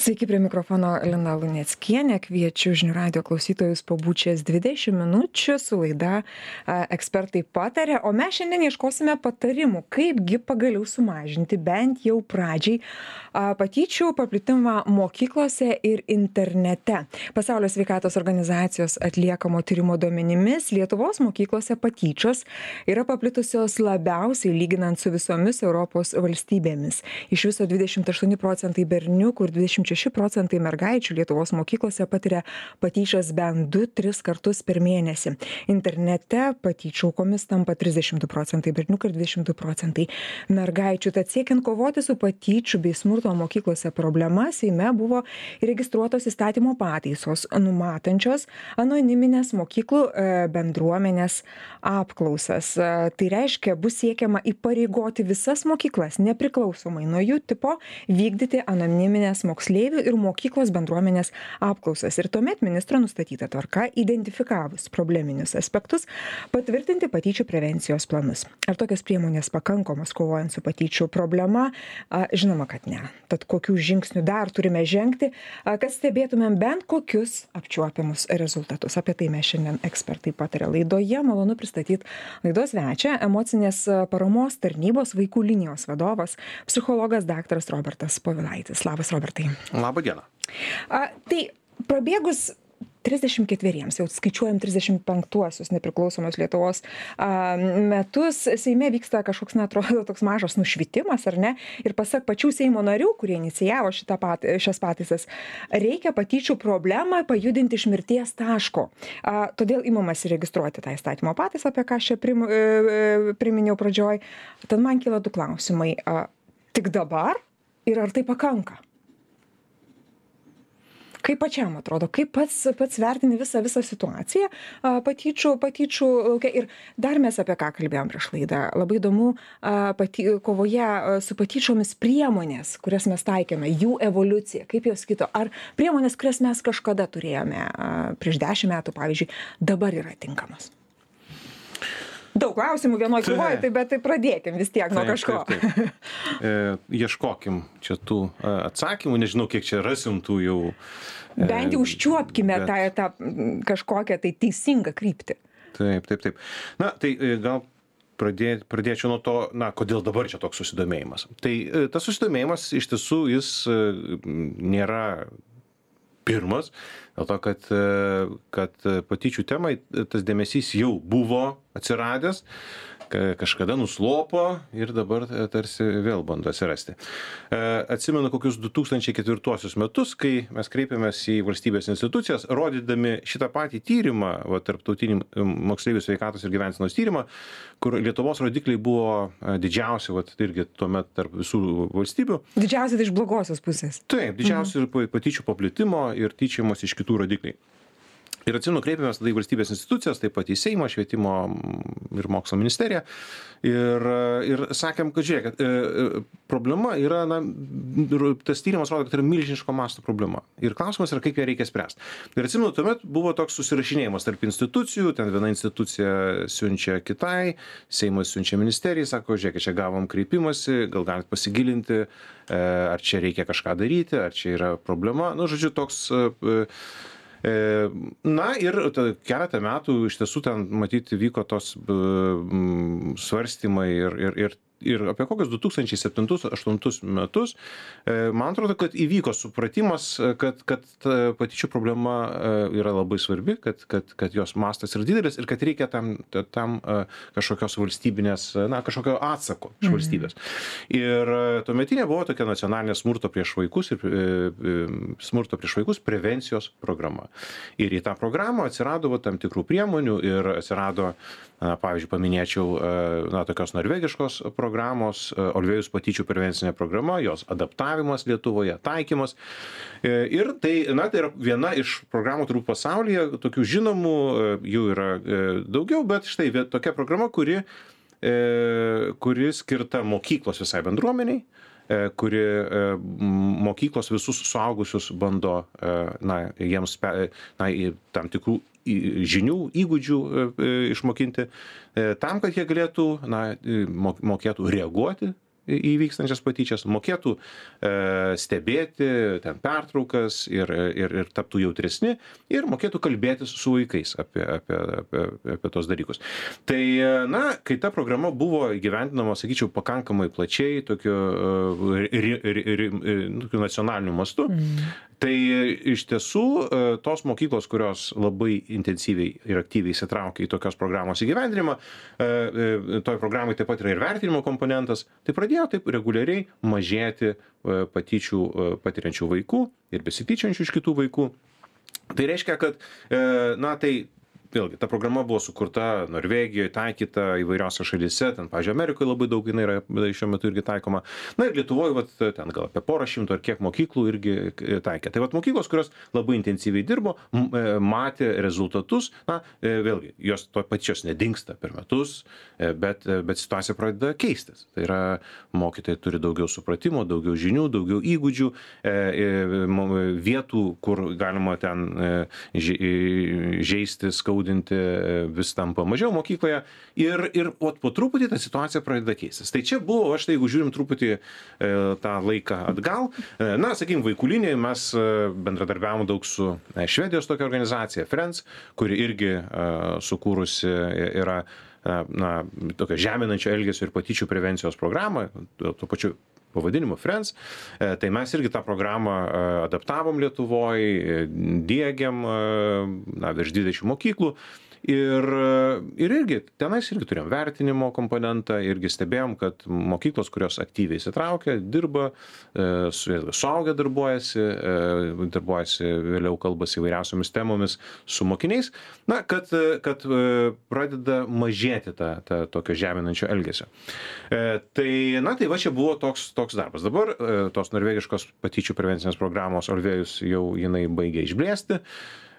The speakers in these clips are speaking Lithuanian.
Sveiki, prie mikrofono Lina Luneckienė. Kviečiu žinių radio klausytojus pabučias 20 minučių su laida Ekspertai patarė. O mes šiandien ieškosime patarimų, kaipgi pagaliau sumažinti bent jau pradžiai patyčių paplitimą mokyklose ir internete. Pasaulio sveikatos organizacijos atliekamo tyrimo duomenimis Lietuvos mokyklose patyčios yra paplitusios labiausiai lyginant su visomis Europos valstybėmis. Iš viso 28% berniukų ir 26% mergaičių Lietuvos mokyklose patiria patyčias bent 2-3 kartus per mėnesį. Internete patyčių aukomis tampa 32% berniukų ir 22% mergaičių. Tad siekiant kovoti su patyčių bei smurto mokyklose problema, Seime buvo įregistruotos įstatymo pataisos, numatančios anoniminės mokyklų bendruomenės apklausas. Tai reiškia, bus siekiama įpareigoti visas mokyklas, nepriklausomai nuo jų tipo, vykdyti anoniminės moksleivių ir mokyklos bendruomenės apklausas. Ir tuomet ministro nustatyta tvarka, identifikavus probleminius aspektus, patvirtinti patyčių prevencijos planus. Ar tokios priemonės pakankamos kovojant su patyčių problema? Žinoma, kad ne. Tad kokių žingsnių dar turime žengti, kad stebėtumėm bent kokius apčiuopiamus rezultatus. Apie tai mes šiandien Ekspertai patarė laidoje. Malonu pristatyti laidos svečią, emocinės paramos tarnybos vaikų linijos vadovas, psichologas daktaras Robertas Povilaitis. Labas, Robertai. Labą dieną. Tai prabėgus 34, jau skaičiuojam 35-uosius nepriklausomos Lietuvos metus, Seime vyksta kažkoks, atrodo, toks mažas nušvitimas, ar ne? Ir pasak pačių Seimo narių, kurie inicijavo šias pataisas, reikia patyčių problemą pajudinti iš mirties taško. Todėl imamasi registruoti tą įstatymo pataisą, apie ką aš čia priminiau pradžioj. Tad man kyla du klausimai. Tik dabar ir ar tai pakanka? Kaip pačiam atrodo, kaip pats vertini visą situaciją patyčių laukia. Ir dar mes apie ką kalbėjom prieš laidą. Labai įdomu kovoje su patyčiomis priemonės, kurias mes taikėme, jų evoliucija, kaip jos kito. Ar priemonės, kurias mes kažkada turėjome prieš 10 metų, pavyzdžiui, dabar yra tinkamos? Daug klausimų vienoj krūvoj, bet tai pradėkim vis tiek nuo kažko. Ieškokim čia tų atsakymų, nežinau, kiek čia rasim tų jau. Bent jau užčiuopkime tą kažkokią tai teisingą kryptį. Taip. Na, tai gal pradėčiau nuo to, kodėl dabar čia toks susidomėjimas. Tai tas susidomėjimas iš tiesų jis nėra pirmas, dėl to, kad patyčių temai tas dėmesys jau buvo atsiradęs, kažkada nuslopo ir dabar tarsi vėl bando atsirasti. Atsimenu kokius 2004 metus, kai mes kreipėmės į valstybės institucijas, rodydami šitą patį tyrimą, tarptautinį moksleivių sveikatos ir gyvensenos tyrimą, kur Lietuvos rodikliai buvo didžiausi, irgi tuomet tarp visų valstybių. Didžiausi tai iš blogosios pusės. Taip, didžiausi ir patyčių paplitimo ir tyčiamos iš kitų rodikliai. Ir atsimenu, kreipėmės tada į valstybės institucijas, taip pat į Seimą, švietimo ir mokslo ministeriją. Ir sakėm, kad žiūrėk, problema yra, tas tyrimas rodo, kad yra milžiniško masto problema. Ir klausimas yra, kaip ją reikia spręsti. Ir atsimenu, tuomet buvo toks susirašinėjimas tarp institucijų, ten viena institucija siunčia kitai, Seimas siunčia ministerijai, sako, žiūrėk, čia gavom kreipimąsi, gal galit pasigilinti, ar čia reikia kažką daryti, ar čia yra problema. Žodžiu, toks. Na ir keletą metų iš tiesų ten matyti vyko tos svarstymai ir apie kokius 2007-2008 metus, man atrodo, kad įvyko supratimas, kad patyčių problema yra labai svarbi, kad jos mastas yra didelis ir kad reikia tam kažkokios valstybinės, kažkokio atsako iš valstybės. Ir tuometinė buvo tokia nacionalinė smurto prieš vaikus prevencijos programa. Ir į tą programą atsirado tam tikrų priemonių ir atsirado, pavyzdžiui, paminėčiau tokios norvegiškos programos, Olvėjus patyčių prevencinė programa, jos adaptavimas Lietuvoje, taikymas. Ir tai yra viena iš programų turbūt pasaulyje, tokių žinomų, jų yra daugiau, bet štai tokia programa, kuri skirta mokyklos visai bendruomeniai, kuri mokyklos visus suaugusius bando jiems tam tikrų žinių, įgūdžių išmokinti, tam, kad jie galėtų, mokėtų reaguoti įvykstančias patyčias, mokėtų stebėti ten pertraukas ir taptų jautresni ir mokėtų kalbėtis su vaikais apie tos dalykus. Tai, na, kai ta programa buvo įgyvendinama, sakyčiau, pakankamai plačiai, tokiu nacionaliniu mastu, tai iš tiesų tos mokyklos, kurios labai intensyviai ir aktyviai įsitraukia į tokios programos įgyvendinimą, toj programai taip pat yra ir vertinimo komponentas, tai pradėjo taip reguliariai mažėti patyčių patiriančių vaikų ir besityčiančių iš kitų vaikų. Tai reiškia, kad, na, tai vėlgi, ta programa buvo sukurta Norvegijoje, taikyta įvairiose šalyse, ten, pavyzdžiui, Amerikoje labai daug jinai yra šiuo metu irgi taikoma. Na ir Lietuvoje, ten gal apie porą šimtų ar kiek mokyklų irgi taikė. Tai mokyklos, kurios labai intensyviai dirbo, matė rezultatus, na, vėlgi, jos to pačios nedingsta per metus, bet situacija pradeda keistis. Tai yra, mokytojai turi daugiau supratimo, daugiau žinių, daugiau įgūdžių, vietų, kur galima ten žeisti, skaudinti, vis tampa mažiau mokykloje ir po truputį ta situacija pradeda keistis. Tai čia buvo, štai jeigu žiūrim truputį tą laiką atgal, na, sakykim, vaikų linijai mes bendradarbiavom daug su Švedijos tokia organizacija Friends, kuri irgi sukūrusi yra na, tokia žeminančio elgesio ir patyčių prevencijos programą, tuo pačiu pavadinimu Friends. Tai mes irgi tą programą adaptavom Lietuvoje, diegiam virš 20 mokyklų. Ir irgi, tenais irgi turėjom vertinimo komponentą, irgi stebėjom, kad mokyklos, kurios aktyviai įsitraukia, dirba, suaugę darbuojasi, vėliau kalbasi įvairiausiomis temomis su mokiniais, na, kad pradeda mažėti ta tokio žeminančio elgesio. Tai, na, tai va čia buvo toks darbas. Dabar tos norvegiškos patyčių prevencinės programos Orvėjus jau jinai baigė išblėsti.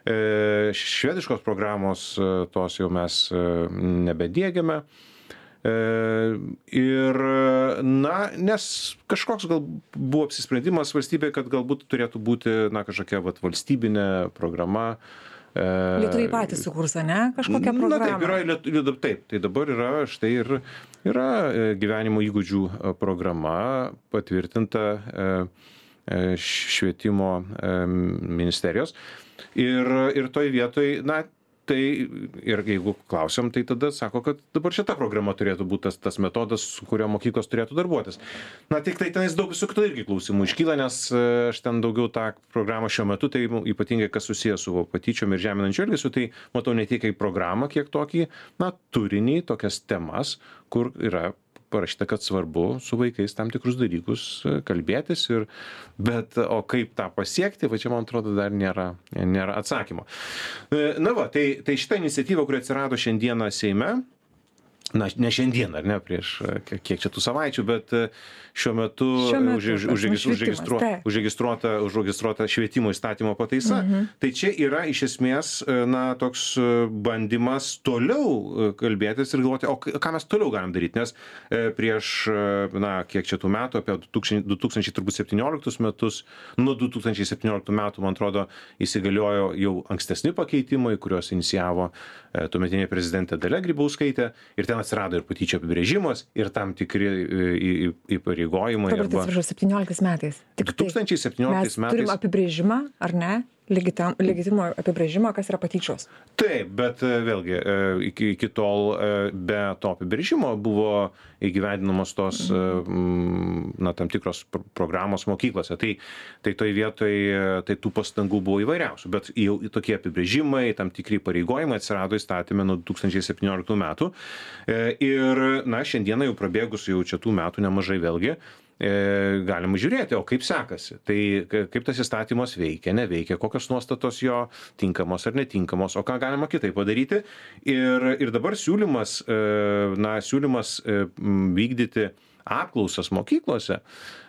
Švediškos programos tos jau mes nebediegiame. Ir, na, nes kažkoks gal buvo apsisprendimas valstybėje, kad galbūt turėtų būti, na, kažkokia valstybinė programa. Lietuviai patys sukurs, ne? Kažkokią programą. Na, taip, tai dabar yra, štai yra gyvenimo įgūdžių programa patvirtinta švietimo ministerijos. Ir toj vietoj, na, tai ir jeigu klausiam, tai tada sako, kad dabar šita programa turėtų būti tas metodas, su kurio mokyklos turėtų darbuotis. Na, tik tai tenais daug visų kitų irgi klausimų iškyla, nes aš ten daugiau tą programą šiuo metu, tai ypatingai kas susijęs su patyčiom ir žeminančiu elgesiu, tai matau ne tik kaip programą, kiek tokį, na, turinį, tokias temas, kur yra parašyta, kad svarbu su vaikais tam tikrus dalykus kalbėtis, bet o kaip tą pasiekti, va čia, man atrodo, dar nėra atsakymo. Na va, tai šita iniciatyva, kuri atsirado šiandieną Seime, na, ne šiandien, ar ne, prieš kiek čia tų savaičių, bet šiuo metu užregistruota švietimo įstatymo pataisa. Tai čia yra iš esmės, na, toks bandymas toliau kalbėtis ir galvoti, o ką mes toliau galim daryti, nes prieš, na, kiek čia tų metų, apie 2017 metus, nuo 2017 metų, man atrodo, įsigaliojo jau ankstesni pakeitimai, kuriuos inicijavo tuometinė prezidentė Dalia Grybauskaitė, ir ten atsirado ir patyčių apibrėžimas, ir tam tikri įpareigojimai. Dabar atsiprašau, 17 metais. 2017 metais. Mes turim apibrėžimą, ar ne? Legitimo apibrėžimą, kas yra patyčios. Taip, bet vėlgi, iki tol be to apibrėžimo buvo įgyvendinamos tos, na, tam tikros programos mokyklose. Tai toj vietoj, tai tų pastangų buvo įvairiausių, bet jau tokie apibrėžimai, tam tikri pareigojimai atsirado įstatymė nuo 2017 metų. Ir, na, šiandieną jau prabėgus jau čia tų metų nemažai vėlgi, galima žiūrėti, o kaip sekasi. Tai kaip tas įstatymas veikia, neveikia, kokios nuostatos jo tinkamos ar netinkamos, o ką galima kitaip padaryti. Ir dabar siūlymas vykdyti apklausas mokyklose,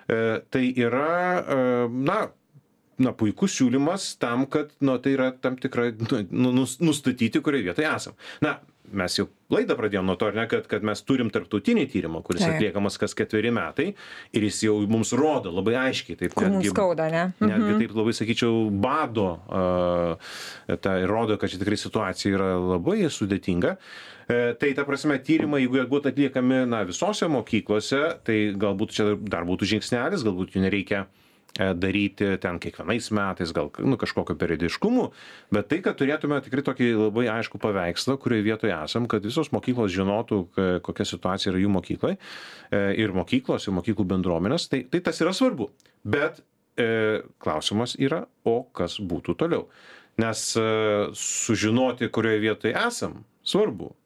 tai yra, na, puikus siūlymas tam, kad, tai yra tam tikra, nustatyti, kurioje vietoje esam. Na, mes jau laidą pradėjom nuo to, ar ne, kad mes turim tarptautinį tyrimą, kuris atliekamas kas 4 metai ir jis jau mums rodo labai aiškiai, taip kur mums skauda, ne? Netgi taip labai sakyčiau, bado, tai rodo, kad čia tikrai situacija yra labai sudėtinga. Tai ta prasme, tyrimai, jeigu jie būtų atliekami visose mokyklose, tai galbūt čia dar būtų žingsnelis, galbūt jų nereikia daryti ten kiekvienais metais, gal kažkokio periodiškumu, bet tai, kad turėtume tikrai tokį labai aišku paveikslą, kurioje vietoje esam, kad visos mokyklos žinotų, kokia situacija yra jų mokyklai ir mokyklos, ir mokyklų bendruomenės, tai tas yra svarbu. Bet klausimas yra, o kas būtų toliau. Nes sužinoti, kurioje vietoje esam, svarbu.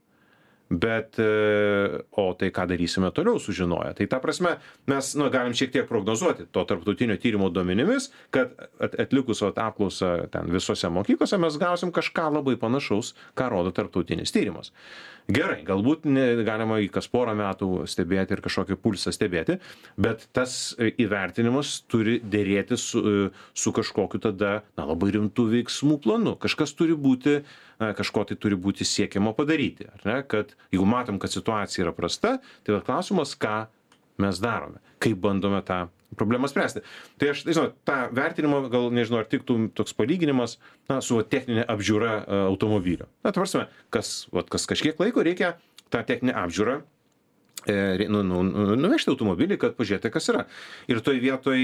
Bet, o tai ką darysime toliau sužinoję. Tai ta prasme, mes galim šiek tiek prognozuoti to tarptautinio tyrimo duomenimis, kad atlikus apklausą ten visose mokyklose mes gausim kažką labai panašaus, ką rodo tarptautinis tyrimas. Gerai, galbūt galima į kas porą metų stebėti ir kažkokį pulsą stebėti, bet tas įvertinimas turi dėrėti su kažkokiu tada labai rimtų veiksmų planu. Kažkas turi būti, kažko tai turi būti siekiama padaryti. Ar ne? Kad jeigu matom, kad situacija yra prasta, tai klausimas, ką mes darome, kaip bandome tą problemą spręsti. Tai aš, tą vertinimą, gal nežinau, ar tiktų toks palyginimas su techninė apžiūra automobilio. Tvarsime, kas kažkiek laiko reikia tą techninę apžiūrą nuvežti automobilį, kad pažiūrėti, kas yra. Ir toj vietoj,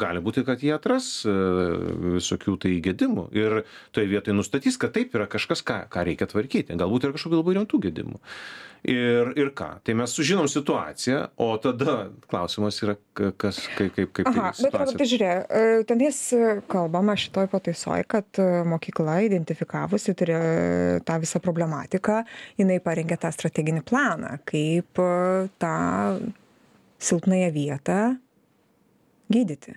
gali būti, kad jie atras visokių tai gedimų. Ir toj vietoj nustatys, kad taip yra kažkas, ką reikia tvarkyti. Galbūt yra kažkokių labai rimtų gedimų. Ir ką? Tai mes sužinom situaciją, o tada klausimas yra, kaip situacija. Bet tai žiūrėk, tenais kalbama šitoj pataisoj, kad mokykla identifikavusi tą visą problematiką, jinai parengė tą strateginį planą, kaip tą silpnąją vietą gydyti.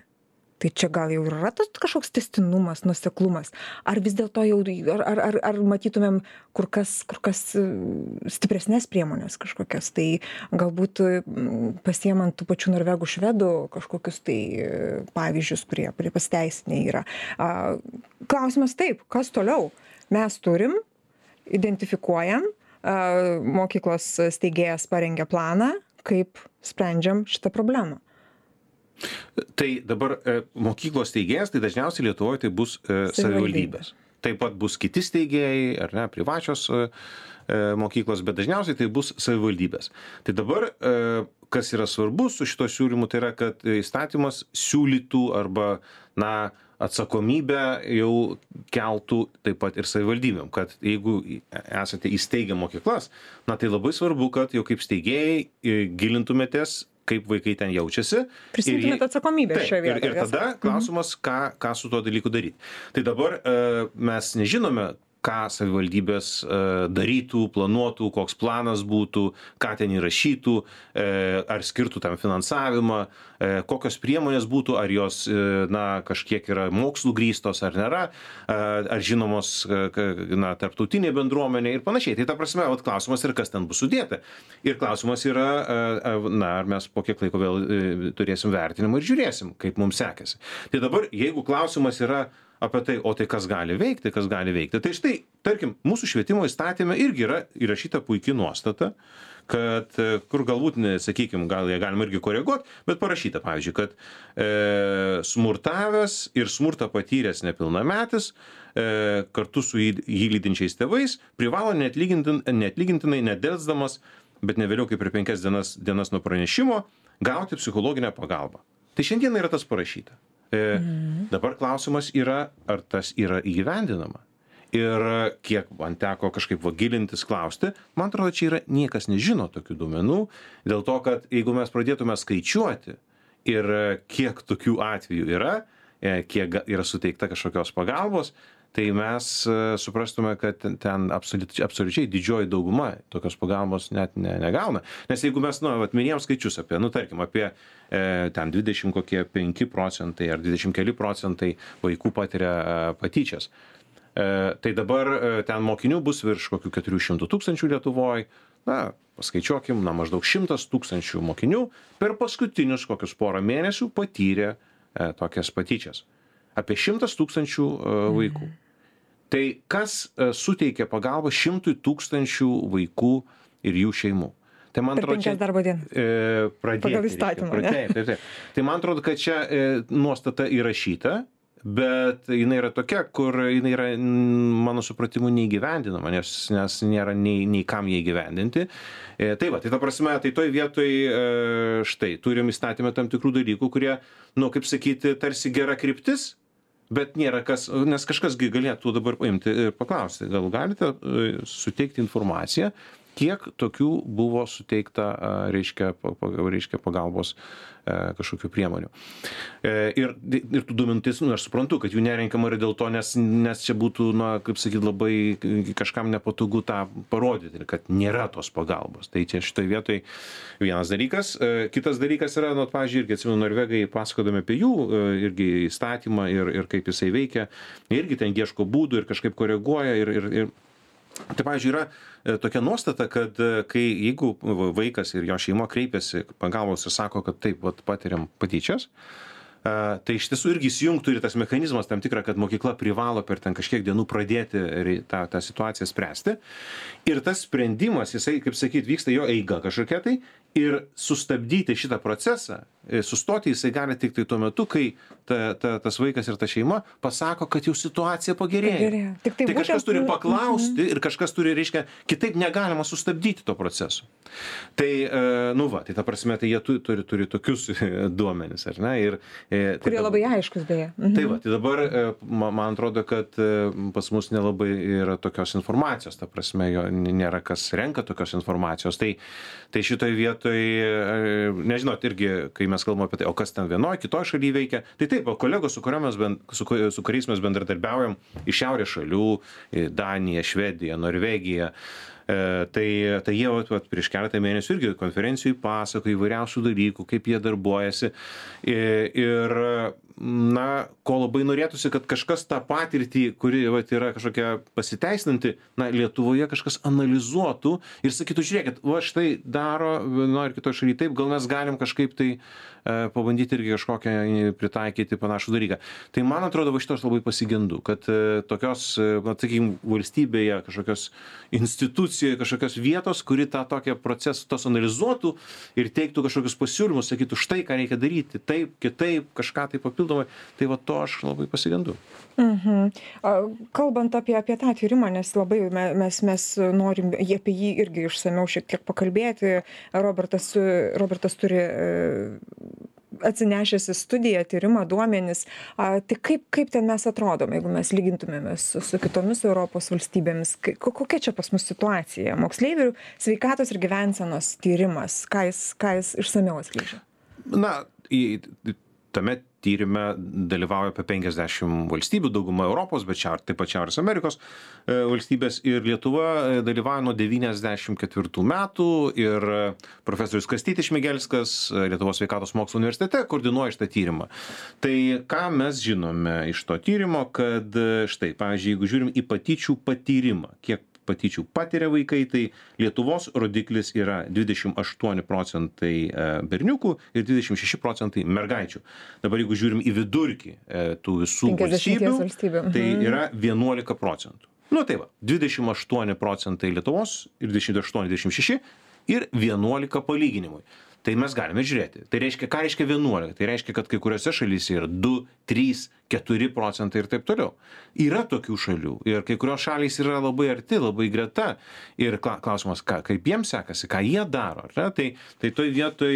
Tai čia gal jau yra tas kažkoks tęstinumas, nuoseklumas, ar vis dėlto jau, ar matytumėm kur kas stipresnės priemonės kažkokias, tai galbūt pasiemant tų pačių norvegų, švedų kažkokius tai pavyzdžius, kurie pasiteisinę yra. Klausimas taip, kas toliau? Mes turim, identifikuojam, mokyklos steigėjas parengė planą, kaip sprendžiam šitą problemą. Tai dabar mokyklos steigėjas, tai dažniausiai Lietuvoje tai bus savivaldybės. Taip pat bus kiti steigėjai, ar ne, privačios mokyklos, bet dažniausiai tai bus savivaldybės. Tai dabar, kas yra svarbu su šito siūlymu, tai yra, kad įstatymas siūlytų arba, atsakomybę jau keltų taip pat ir savivaldybėm, kad jeigu esate įsteigę mokyklas, tai labai svarbu, kad jau kaip steigėjai gilintumėtės, kaip vaikai ten jaučiasi. Prisimtumėt atsakomybę šioje vietoje. Ir tada klausimas, ką su tuo dalyku daryti. Tai dabar mes nežinome, ką savivaldybės darytų, planuotų, koks planas būtų, ką ten įrašytų, ar skirtų tam finansavimą, kokios priemonės būtų, ar jos kažkiek yra mokslų grįstos ar nėra, ar žinomos tarptautinė bendruomenė ir panašiai. Tai ta prasme, klausimas yra, kas ten bus sudėta. Ir klausimas yra, ar mes po kiek laiko vėl turėsim vertinimą ir žiūrėsim, kaip mums sekėsi. Tai dabar, jeigu klausimas yra apie tai, o tai kas gali veikti. Tai štai, tarkim, mūsų švietimo įstatyme irgi yra įrašyta puikia nuostata, kad, kur galbūt, sakykime, gal ją galima irgi koreguoti, bet parašyta, pavyzdžiui, kad smurtavęs ir smurtą patyręs nepilnametis kartu su jį lydinčiais tėvais privalo neatlygintinai, nedelsdamas, bet ne vėliau kaip per 5 dienas nuo pranešimo, gauti psichologinę pagalbą. Tai šiandien yra tas parašyta. Dabar klausimas yra, ar tas yra įgyvendinama. Ir kiek man teko kažkaip gilintis, klausti, man atrodo, čia yra niekas nežino tokių duomenų, dėl to, kad jeigu mes pradėtume skaičiuoti ir kiek tokių atvejų yra, kiek yra suteikta kažkokios pagalbos, tai mes suprastume, kad ten absoliučiai didžioji dauguma tokios pagalbos net negauna. Nes jeigu mes, minėjom skaičius apie, tarkim, apie ten 25 procentai ar 20 keli procentai vaikų patiria patyčias, tai dabar ten mokinių bus virš kokių 400 tūkstančių Lietuvoje, paskaičiuokim, maždaug 100 tūkstančių mokinių per paskutinius kokius porą mėnesių patyrė tokias patyčias. Apie 100 tūkstančių vaikų. Tai kas suteikia pagalbą 100 000 vaikų ir jų šeimų? Tai man Per atrodo, 5 darbo dienas. Pradėti. Pagal įstatymą, ne? Taip. Tai man atrodo, kad čia nuostata įrašyta, bet jinai yra tokia, kur jinai yra, mano supratimu, neįgyvendinama, nes nėra nei kam jie įgyvendinti. Tai va, tai ta prasme, tai toj vietoj štai, turim įstatymę tam tikrų dalykų, kurie, kaip sakyti, tarsi gera kryptis, bet nėra kas, nes kažkasgi galėtų dabar paimti ir paklausti, gal galite suteikti informaciją, kiek tokių buvo suteikta, reiškia pagalbos kažkokių priemonių. Ir tų duomenų, aš suprantu, kad jų nerenkama yra dėl to, nes čia būtų, kaip sakyti, labai kažkam nepatogu tą parodyti, kad nėra tos pagalbos. Tai čia šitoje vietoje vienas dalykas. Kitas dalykas yra, pavyzdžiui, irgi atsimenu, norvegai pasakodami apie jų irgi įstatymą ir kaip jisai veikia, irgi ten ieško būdų ir kažkaip koreguoja ir tai, pavyzdžiui, yra tokia nuostata, kad jeigu vaikas ir jo šeima kreipiasi pagalbos ir sako, kad taip, patiriam patyčias, tai iš tiesų irgi įsijungtų ir tas mechanizmas tam tikra, kad mokykla privalo per ten kažkiek dienų pradėti tą situaciją spręsti. Ir tas sprendimas, jisai, kaip sakyt, vyksta jo eiga kažkokia tai, ir sustabdyti šitą procesą, sustoti jisai gali tik tai tuo metu, kai tas vaikas ir ta šeima pasako, kad jau situacija pagerėjo. Tai kažkas turi paklausti ir kažkas turi, reiškia, kitaip negalima sustabdyti to proceso. Tai, tai ta prasme, tai jie turi tokius duomenis, ar ne? Kurie labai aiškus, beje. Tai va, tai dabar man atrodo, kad pas mus nelabai yra tokios informacijos, ta prasme, jo nėra kas renka tokios informacijos. Tai šitoje vietoje, nežinot, irgi, kai mes kalbame apie tai, o kas ten vienoje, kitoje šalyje veikia, tai taip, kolegos, su kuriais mes bendradarbiaujam iš šiaurės šalių, Danija, Švedija, Norvegija, tai jie prieš keletą mėnesių irgi konferencijų pasako įvairiausių dalykų, kaip jie darbuojasi. Ir, ko labai norėtųsi, kad kažkas tą patirtį, kuri yra kažkokia pasiteisinanti, Lietuvoje kažkas analizuotų ir sakytų, žiūrėkit, štai daro vienoje ir kitoje šalyje taip, gal mes galim kažkaip tai pabandyti irgi kažkokią pritaikyti panašų dalyką. Tai man atrodo, šitos labai pasigendu, kad tokios, sakykime, valstybėje kažkokios institucijoje, kažkokios vietos, kuri tą tokią procesą tos analizuotų ir teiktų kažkokius pasiūlymus, sakytų, štai ką reikia daryti, taip, kitaip, kažką tai papildomai, tai to aš labai pasigendu. Kalbant apie tą tyrimą, nes labai mes norim apie jį irgi išsamiau šiek tiek pakalbėti, Robertas turi atsinešęs į studiją, tyrimą, duomenis. Tai kaip ten mes atrodom, jeigu mes lygintumėmės su kitomis Europos valstybėmis? Kokia čia pas mus situacija? Moksleivių sveikatos ir gyvensenos tyrimas, ką jis išsamiau atskleidžia? Tame tyrime dalyvauja apie 50 valstybių, dauguma Europos, bet taip pat Šiaurės Amerikos valstybės, ir Lietuva dalyvauja nuo 94 metų ir profesorius Kastytis Šmigelskas Lietuvos sveikatos mokslų universitete koordinuoja šitą tyrimą. Tai ką mes žinome iš to tyrimo, kad štai, pavyzdžiui, jeigu žiūrim į patyčių patyrimą, kiek patyčių patiria vaikai, tai Lietuvos rodiklis yra 28% berniukų ir 26% mergaičių. Dabar jeigu žiūrim į vidurkį tų visų valstybių, tai yra 11%. Tai va, 28% Lietuvos ir 28-26 ir 11 palyginimui. Tai mes galime žiūrėti. Tai reiškia, ką reiškia 11? Tai reiškia, kad kai kuriuose šalyse yra 2, 3, 4% ir taip toliau. Yra tokių šalių ir kai kurios šalys yra labai arti, labai greta. Ir klausimas, kaip jiems sekasi, ką jie daro. Tai toj vietoj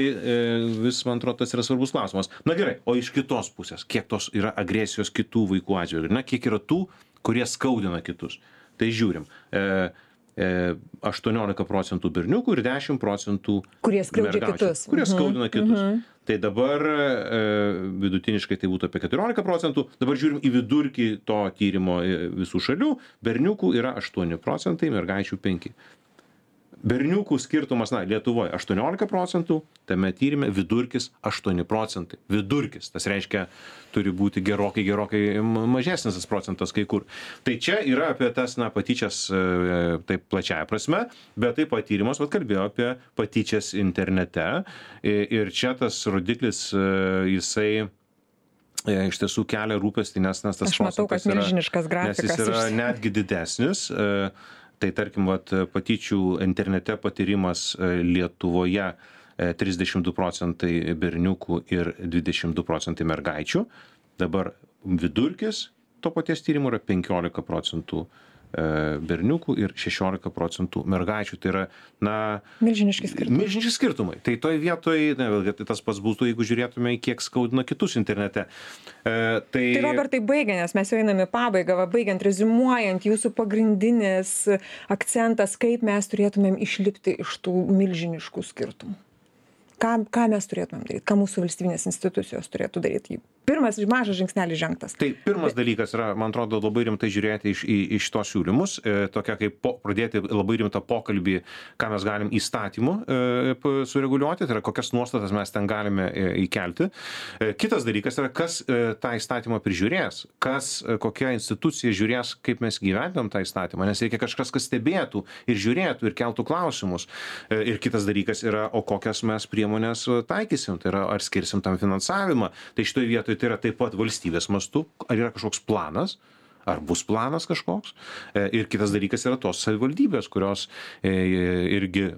vis, man atrodo, tas yra svarbus klausimas. Gerai, o iš kitos pusės, kiek tos yra agresijos kitų vaikų atžvilgiu? Kiek yra tų, kurie skaudina kitus? Tai žiūrim. 18% berniukų ir 10% kurie skaudina kitus. Kurie skaudina kitus. Tai dabar vidutiniškai tai būtų apie 14%. Dabar žiūrim į vidurkį to tyrimo visų šalių. Berniukų yra 8%, mergaičių 5%. Berniukų skirtumas, Lietuvoje 18%, tame tyrime vidurkis 8%. Vidurkis, tas reiškia, turi būti gerokai mažesnis tas procentas kai kur. Tai čia yra apie tas, patyčias taip plačiaja prasme, bet taip pat tyrimas kalbėjo apie patyčias internete ir čia tas rodiklis, jisai iš tiesų kelia rūpestį, nes tas Aš matau, kad milžiniškas grafikas. Nes jis yra netgi didesnis. Tai tarkim, patyčių internete patyrimas Lietuvoje 32% berniukų ir 22% mergaičių. Dabar vidurkis to paties tyrimo yra 15% berniukų ir 16% mergaičių. Tai yra, milžiniški skirtumai. Milžiniški skirtumai. Tai toj vietoj, vėlgi, tai tas pats būtų, jeigu žiūrėtume, kiek skaudina kitus internete. Tai Robertai, baigia, nes mes jau einame į pabaigą, baigiant, reziumuojant, jūsų pagrindinis akcentas, kaip mes turėtumėm išlipti iš tų milžiniškų skirtumų. Ką mes turėtumėm daryti, ką mūsų valstybinės institucijos turėtų daryti. Pirmas mažas žingsnelis žengtas. Tai pirmas dalykas yra, man atrodo, labai rimtai žiūrėti iš tos siūlymus, tokia kaip pradėti labai rimtą pokalbį, ką mes galim įstatymu sureguliuoti, tai yra kokias nuostatas mes ten galime įkelti. Kitas dalykas yra, kas tą įstatymą prižiūrės, kokia institucija žiūrės, kaip mes gyventam tą įstatymą, nes reikia kažkas, kas stebėtų ir žiūrėtų ir keltų klausimus. Ir kitas dalykas yra, o kokias mes priemonės taikysim, tai yra, ar skirsim tam finansavimą. Tai šitoje vietoje tai yra taip pat valstybės mastu, ar yra kažkoks planas, ar bus planas kažkoks. Ir kitas dalykas yra tos savivaldybės, kurios irgi,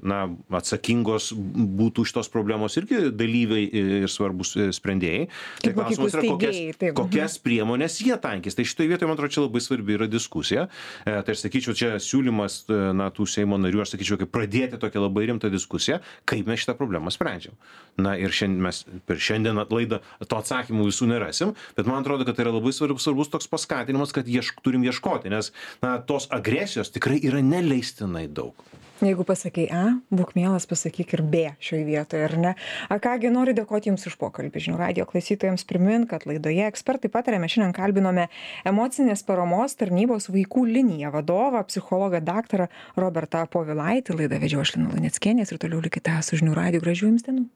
atsakingos būtų šitos problemos irgi dalyviai ir svarbus sprendėjai. Tai klausimas yra, kokias priemonės jie tankys. Tai šitoje vietoje, man atrodo, čia labai svarbi yra diskusija. Tai aš sakyčiau, čia siūlymas tų Seimo narių, aš sakyčiau, kaip pradėti tokią labai rimtą diskusiją, kaip mes šitą problemą sprendžiam. Ir šiandien mes per šiandien laidą to atsakymų visų nerasim, bet man atrodo, kad tai yra labai svarbus toks paskatinimas, kad turim ieškoti, nes tos agresijos tikrai yra neleistinai daug. Jeigu pasakai A, būk mielas, pasakyk ir B šioje vietoje, ar ne? Kągi, noriu dėkoti Jums už pokalbį. Žinių radijo klausytojams primint, kad laidoje Ekspertai pataria mes šiandien kalbinome emocinės paramos tarnybos vaikų liniją vadovą, psichologą daktarą Robertą Povilaitį. Laidą vedžiau aš Lina Luneckienė ir toliau likite su Žinių radiju. Gražių Jums dienų.